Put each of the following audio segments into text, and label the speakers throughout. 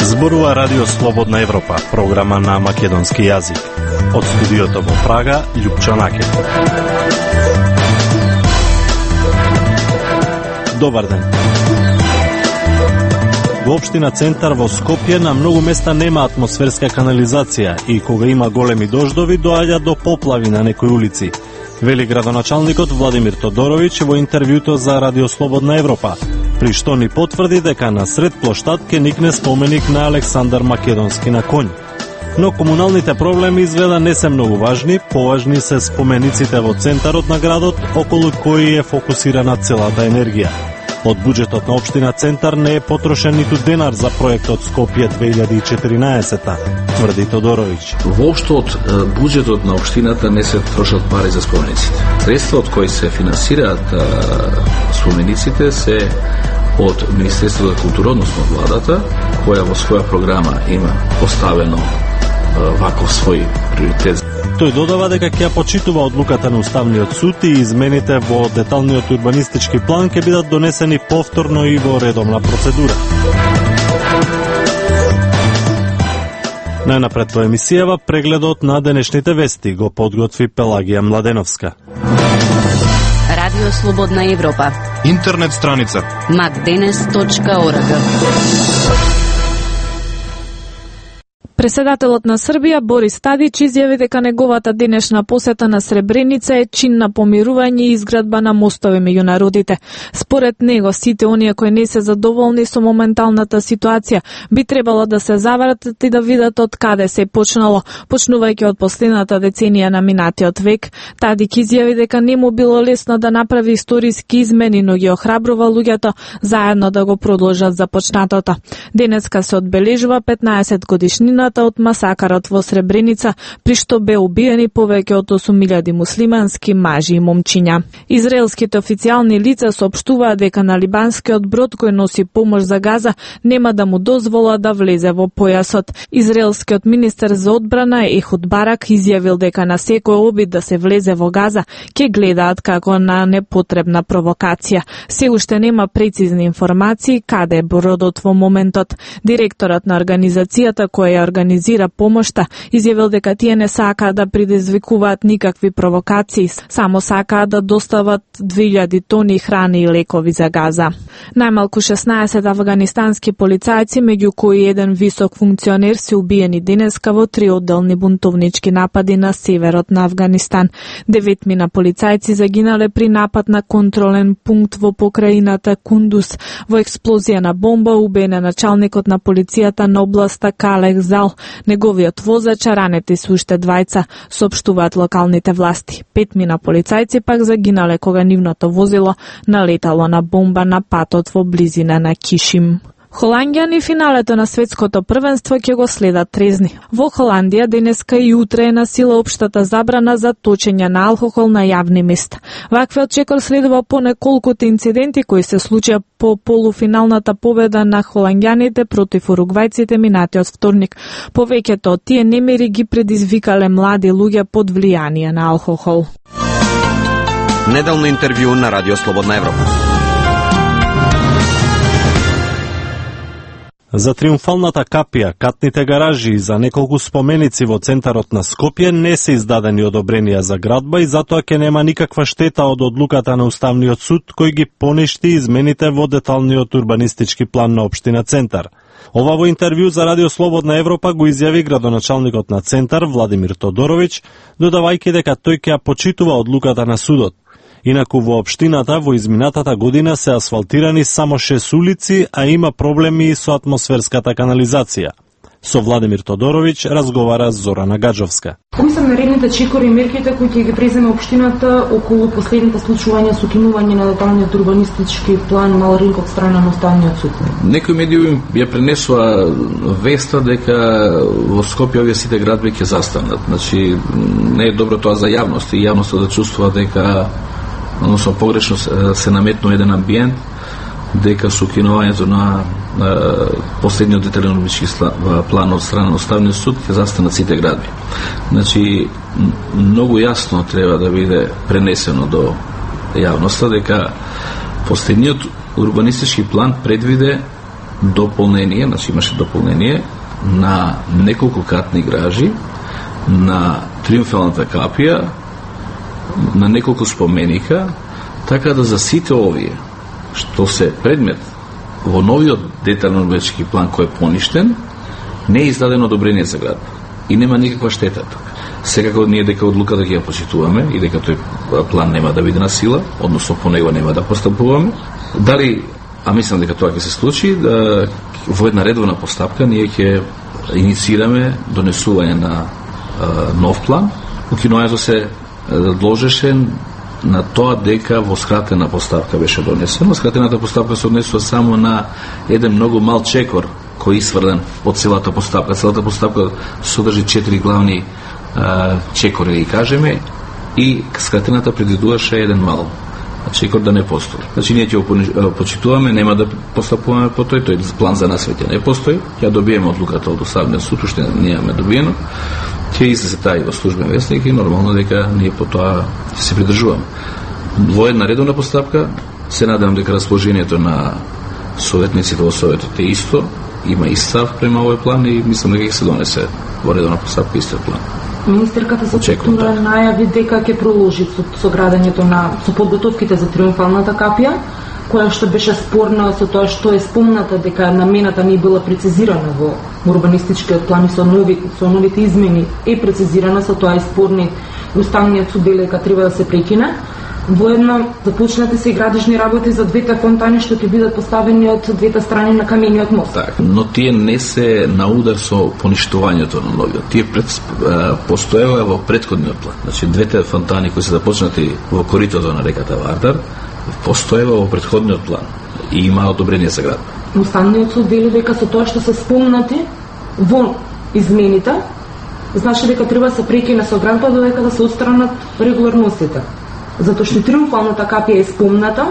Speaker 1: Зборува Радио Слободна Европа, програма на македонски јазик. Од студиото во Прага, Љупчо Накев. Добар ден. Во општина Центар во Скопје на многу места нема атмосферска канализација и кога има големи дождови доаѓа до поплави на некои улици, вели градоначалникот Владимир Тодоровиќ во интервјуто за Радио Слободна Европа, при што ни потврди дека на сред плоштад ке никне споменик на Александар Македонски на конј. Но комуналните проблеми изгледа не се многу важни, поважни се спомениците во центарот на градот, околу кои е фокусирана целата енергија. Од буџетот на општина Центар не е потрошен ниту денар за проектот Скопје 2014, тврди Тодоровиќ.
Speaker 2: Воопшто од буџетот на општината не се трошат пари за спомениците. Средства од кои се финансираат спомениците се од Министерството за култура, односно владата, која во своја програма има поставено ваков свој приоритет.
Speaker 1: Тој додава дека ќе почитува одлуката на Уставниот суд и измените во деталниот урбанистички план ќе бидат донесени повторно и во редовна процедура. Најнапред во емисијава прегледот на денешните вести го подготви Пелагија Младеновска.
Speaker 3: Радио Слободна Европа.
Speaker 4: Интернет страница
Speaker 3: macdenes.org.
Speaker 5: Преседателот на Србија Борис Тадич изјави дека неговата денешна посета на Сребреница е чин на помирување и изградба на мостови меѓу народите. Според него, сите оние кои не се задоволни со моменталната ситуација би требало да се завратат и да видат од каде се почнало, почнувајќи од последната деценија на минатиот век. Тадич изјави дека не му било лесно да направи историски измени, но ги охрабрува луѓето заедно да го продолжат започнатото. Денеска се одбележува 15 годишнина од масакарот во Сребреница, при што бе убиени повеќе од 8.000 муслимански мажи и момчиња. Израелските официјални лица соопштуваат дека на либанскиот брод кој носи помош за Газа нема да му дозвола да влезе во појасот. Израелскиот министер за одбрана Ехуд Барак изјавил дека на секој обид да се влезе во Газа ќе гледаат како на непотребна провокација. Се уште нема прецизни информации каде е бродот во моментот. Директорот на организацијата која организира помошта изјавил дека тие не сакаат да предизвикуваат никакви провокации, само сакаат да достават 2000 тони храна и лекови за Газа. Најмалку 16 афганистански полицајци, меѓу кои еден висок функционер, се убиени денеска во 3 одделни бунтовнички напади на северот на Афганистан. 9 полицајци загинале при напад на контролен пункт во покраината Кундус. Во експлозија на бомба убиен е началникот на полицијата на областа Калех Зал. Неговиот возач, ранети се уште двајца, соопштуваат локалните власти. 5 полицајци пак загинале кога нивното возило налетало на бомба на патот во близина на Кишим. Холандјани финалето на светското првенство ќе го следат трезни. Во Холандија денеска и утре е на сила општата забрана за точење на алкохол на јавни места. Ваквиот чекор следува по неколкуте инциденти кои се случија по полуфиналната победа на холандјаните против уругвајците минатиот вторник. Повеќето од тие немири ги предизвикале млади луѓе под влијание на алкохол.
Speaker 6: Неделно интервју на Радио Слободна Европа.
Speaker 1: За триумфалната капија, катните гаражи и за неколку споменици во центарот на Скопје не се издадени одобренија за градба и затоа ќе нема никаква штета од одлуката на Уставниот суд кој ги поништи измените во деталниот урбанистички план на општина Центар. Ова во интервју за Радио Слободна Европа го изјави градоначалникот на Центар Владимир Тодоровиќ, додавајќи дека тој ќе ја почитува одлуката на судот. Инаку во општината во изминатата година се асфалтирани само 6 улици, а има проблеми со атмосферската канализација. Со Владимир Тодоровиќ разговара Зорана Гаджовска.
Speaker 7: Кои се наредните чекори и мерките кои ќе ги преземе општината околу последните случувања со кинување на деталниот урбанистички план на Ринк од страна на Уставниот суд?
Speaker 2: Некои медиуми ја пренесува веста дека во Скопје овие сите градби ќе застанат. Значи не е добро тоа за јавност и јавноста да чувствува дека односно погрешно се наметнува еден амбиент дека со кинувањето на последниот детален урбанистички план од страна на Уставниот суд ќе застанат сите градби. Значи многу јасно треба да биде пренесено до јавноста дека последниот урбанистички план предвиде дополнение, значи имаше дополнение на неколку катни гражи, на Триумфалната капија, на неколку споменика, така да за сите овие што се предмет во новиот детален урбанистички план кој е поништен, не е издадено одобрение за градба и нема никаква штета тука. Секако ние дека одлуката ќе ја почитуваме и дека тој план нема да биде на сила, односно по него нема да постапуваме. Дали, а мислам дека тоа ќе се случи, да во една редовна постапка ние ќе инициираме донесување на нов план. Укинувањето се должеше на тоа дека во скратена постапка беше донесено. Скратената постапка се однесува само на еден многу мал чекор кој е сврлен од целата постапка. Целата постапка содржи 4 главни чекори, да ги кажеме, и скратената предвидуваше еден мал чекор да не постои. Значи ние ќе го почитуваме, нема да постапуваме по тој план за нас веќе не постои. Ја добиеме одлуката од Уставниот суд, уште не имаме добиено. Ќе излезе таа и во службен вестник и нормално дека ние по тоа ќе се придржуваме. Во една редовна постапка се надевам дека расположението на советниците во советот е исто, има и став према овој план и мислам дека ќе се донесе во редовна постапка истиот план.
Speaker 7: Министерката за култура најави дека ќе продолжи со градењето со подготовките за Триумфалната капија, која што беше спорна со тоа што е спомната дека намената не била прецизирана во урбанистичкиот план и со новите измени е прецизирана, со тоа е спорни Уставниот суд дека треба да се прекине. Воедно започнати се и градежни работи за двете фонтани што ќе бидат поставени од двете страни на камениот мост.
Speaker 2: Так, но тие не се на удар со поништувањето на новиот. Тие постоева во претходниот план. Значи двете фонтани кои се започнати во коритото на реката Вардар постоева во претходниот план и има одобрение за градба.
Speaker 7: Уставниот суд вели дека со тоа што се спомнати во измените, значи дека треба да се прекине со градба додека да се отстранат регуларностите. Затоа што Триумфалната капија е спомната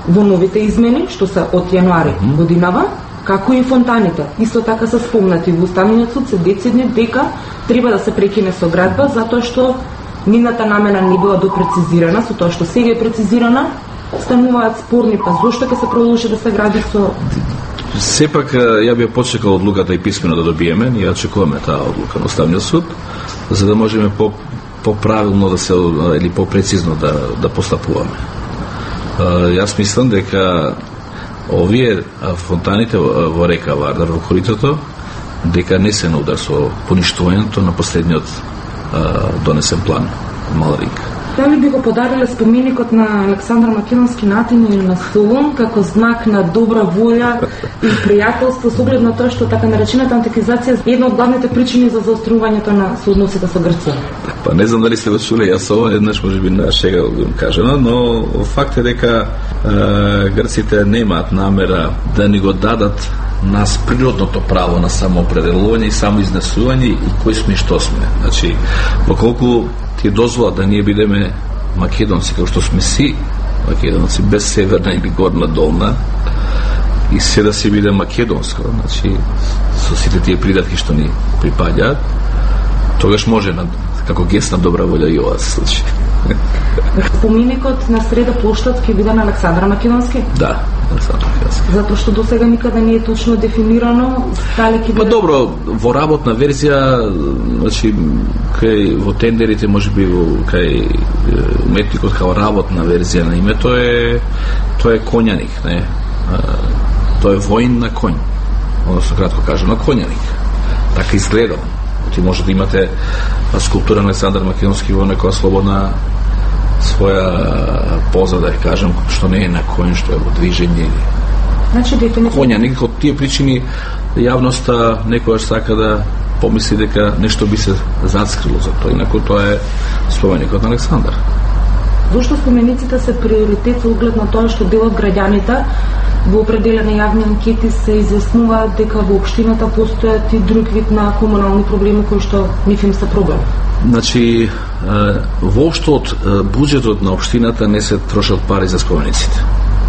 Speaker 7: во новите измени, што се од јануари годинава, како и фонтаните. Исто така се спомнати во Уставниот суд се децидни дека треба да се прекине со градба, затоа што нивната намена не била допрецизирана, со тоа што сега е прецизирана, стануваат спорни, па зошто ќе се продолжи да се гради со...
Speaker 2: Сепак, ја би почекал одлуката и писмено да добиеме, ние очекуваме таа одлука на Уставниот суд, за да можеме по-правилно да се, или по-прецизно да постапуваме. Јас мислам дека овие фонтаните во река Вардар, во коритото, дека не се на удар со поништувањето на последниот донесен план Малринг.
Speaker 7: Дали би го подариле споменикот на Александар Македонски на Атина или на Солун како знак на добра волја и пријателство со оглед на тоа што така наречената антикизација е една од главните причини за заострувањето на соодносите со Грција?
Speaker 2: Па не знам дали сте го чуле, јас ова еднаш можеби на шега го кажано, но факт е дека грците немаат намера да ни го дадат нас природното право на самоопределување и самоизнесување и кој сме и што сме. Значи, поколку ти дозвола да ние бидеме македонци, како што сме си македонци, без северна или горна долна, и се да си биде македонско, значи, со сите тие придатки што ни припаѓаат, тогаш може како гест на добра волја и ова се случи.
Speaker 7: Споменикот на среда плоштад ќе биде на Александар Македонски?
Speaker 2: Да, Александар Македонски.
Speaker 7: Затоа што досега никаде не е точно дефинирано дали ќе биде...
Speaker 2: Па добро, во работна верзија, значи кај во тендерите, можеби кај уметникот како работна верзија на името тоа е конјаник, не? Тоа е воин на конј. Односно кратко кажано, конјаник. Така изгледал. Ти може да имате скулптура на Александар Македонски во некоја слободна своја поза, да ја кажем, што не е на конј, што е во движење.
Speaker 7: Значи,
Speaker 2: конјаник, од тие причини јавноста некојаш сака да помисли дека нешто би се зацкрило за тоа, инаку тоа е споменикот на Александар.
Speaker 7: Зошто спомениците се приоритет со оглед на тоа што дел од граѓаните во определени јавни анкети се изјаснуваат дека во општината постојат и друг вид на комунални проблеми кои што нив им се проблем?
Speaker 2: Значи, воопшто од буџетот на општината не се трошат пари за спомениците.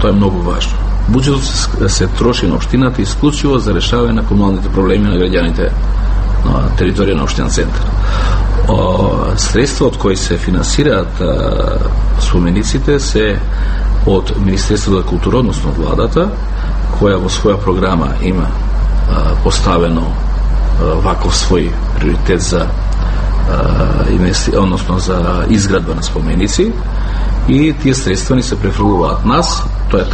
Speaker 2: Тоа е многу важно. Буџетот се троши на општината исклучиво за решавање на комуналните проблеми на граѓаните на територија на општина центар. Средства од кои се финансираат спомениците се од Министерството за култура, односно владата, која во своја програма има поставено ваков свој приоритет за односно за изградба на споменици, и тие средства ни се префрлуваат нас. Тоа е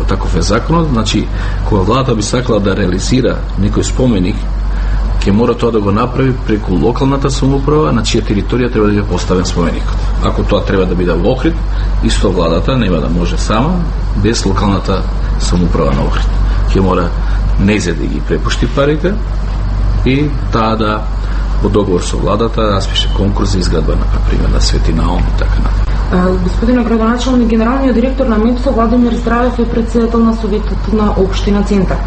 Speaker 2: таков е законот. Значи, кога владата би сакала да реализира некој споменик, ќе мора тоа да го направи преку локалната самоуправа на чија територија треба да биде поставен споменикот. Ако тоа треба да биде во Охрид, исто владата нема да може сама без локалната самоуправа на Охрид. Ќе мора нејзе да ги препушти парите и таа да во договор со владата распише конкурс за изградба на пример на Свети Наум и така натаму.
Speaker 7: Господине градоначалник, генералниот директор на МЕПСО Владимир Здравев е председател на Советот на Општина Центар.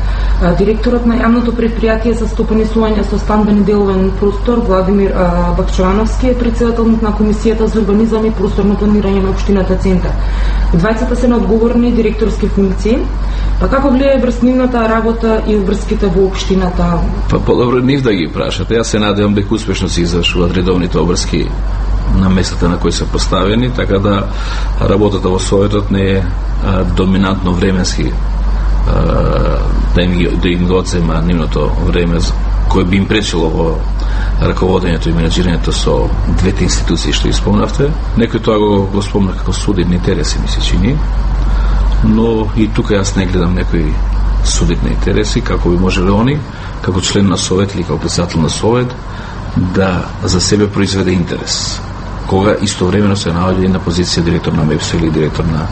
Speaker 7: Директорот на јавното предпријатие за стопанисување со стамбени деловен простор Владимир Бакчовановски е председател на Комисијата за урбанизам и просторно планирање на Општината Центар. Двајцата се на одговорни директорски функции. Па како влијае врз нивната работа и врските во општината?
Speaker 2: Па подобро нив да ги прашате. Јас се надевам дека успешно се извршуваат редовните обврски на местата на кои се поставени, така да работата во Советот не е доминантно временски да им го одзема нивното време кој би им пречило во раководењето и менеджирањето со двете институции што исполнавте. Некој тоа го спомна како судидни интереси, ми се чини, но и тука јас не гледам некои судидни интереси, како би можеле они, како член на Совет или како председател на Совет, да за себе произведе интерес, кога истовремено се наоѓа и на позиција директор на МЕПСО или директор на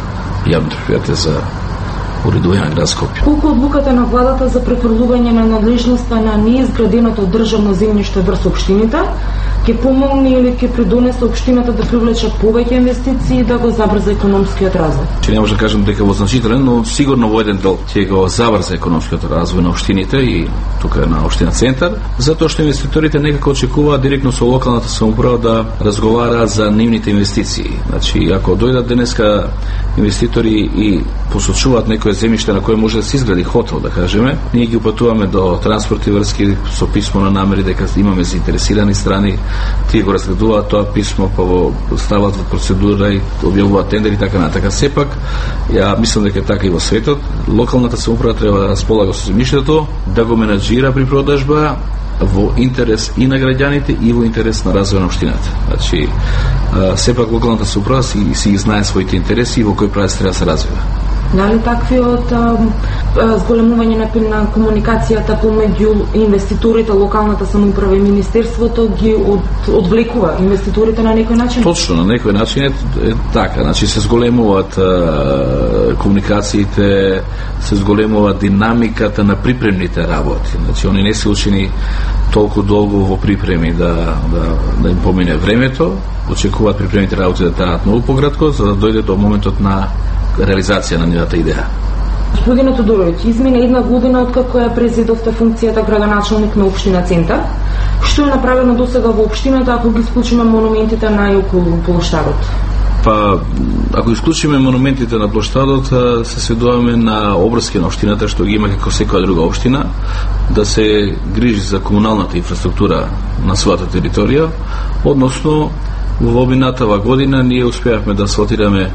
Speaker 2: јавното предпријатие за уредување на град Скопје.
Speaker 7: Колку одлуката на владата за префрлување на надлежноста на неизграденото државно земјиште врз општините ќе помогне или ќе придонесе општината да привлече повеќе инвестиции и да го забрза економскиот развој?
Speaker 2: Че не може да кажам дека во значителен, но сигурно во еден дел ќе го забрза економскиот развој на општините и тука на општина Центар, затоа што инвеститорите некако очекуваат директно со локалната самоуправа да разговараат за нивните инвестиции. Значи, ако дојдат денеска инвеститори и посочуваат некое земјиште на кое може да се изгради хотел, да кажеме, ние ги упатуваме до транспорти врски со писмо на намери дека имаме заинтересирани страни, тие го разгледуваат тоа писмо, па го стават во процедура и објавуваат тендери и така натака. Сепак, ја мислам дека така и во светот, локалната самоуправа треба да располага со земјиштето, да го менаџира при продажба во интерес и на граѓаните и во интерес на развој на општината. Значи, сепак локалната самоуправа си знае своите интереси и во кој правец треба да се развива.
Speaker 7: Дали таквиот зголемување на комуникацијата помеѓу инвеститорите, локалната самоуправа и министерството ги одвлекува инвеститорите на некој начин?
Speaker 2: Точно, на некој начин е така. Значи се зголемуваат комуникациите, се зголемува динамиката на припремните работи. Значи они не се учени толку долго во припреми да им помине времето, очекуваат припремните работи да траат многу пократко, за да дојде до моментот на реализација на нивната идеја.
Speaker 7: Господине Тодороvić, измина една година откако ја презедовте функцијата градоначалник на општина Центар. Што е направено досега во општината ако ги исклучиме монументите на и околу плоштадот?
Speaker 2: Па, ако исклучиме монументите на плоштадот, се сведуваме на обврски на општината, што ги има како секоја друга општина, да се грижи за комуналната инфраструктура на својата територија, односно во минатава година ние успеавме да асфалтираме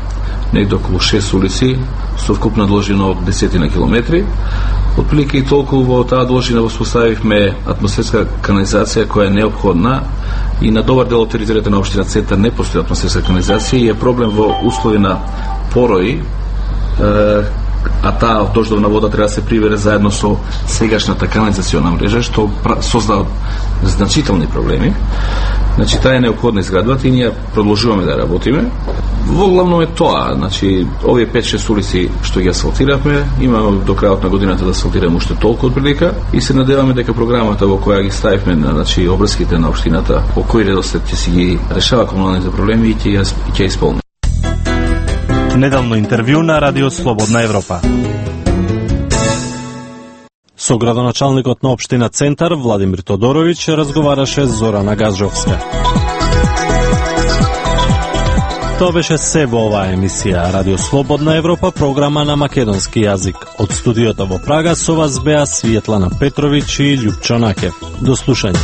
Speaker 2: негде околу 6 улици со вкупна должина од 10 на километри. Отприлike и толку во таа должина воспоставивме атмосферска канализација која е неопходна и на добар дел од територијата на општина Центар не постои атмосферска канализација и е проблем во услови на порои, а таа дождовна вода треба да се прибере заедно со сегашната канализациона мрежа, што создава значителни проблеми. Значи, таа е неопходна изградбата и ние продолжуваме да работиме. Во главно е тоа, значи, овие 5-6 улици што ги асфалтиравме, имаме до крајот на годината да асфалтираме уште толку отприлика и се надеваме дека програмата во која ги ставивме, значи, обврските на општината, по кој редослед ќе си ги решава комуналните проблеми и ќе исполни.
Speaker 1: Неделно интервју на Радио Слободна Европа. Со градоначалникот на општина Центар Владимир Тодороvić разговараше Зорана Газжовска. Тоа беше се во оваа емисија Радио Слободна Европа, програма на македонски јазик. Од студиото во Прага со вас беа Светлана Петровиќ и Љупчо Накев. До слушање.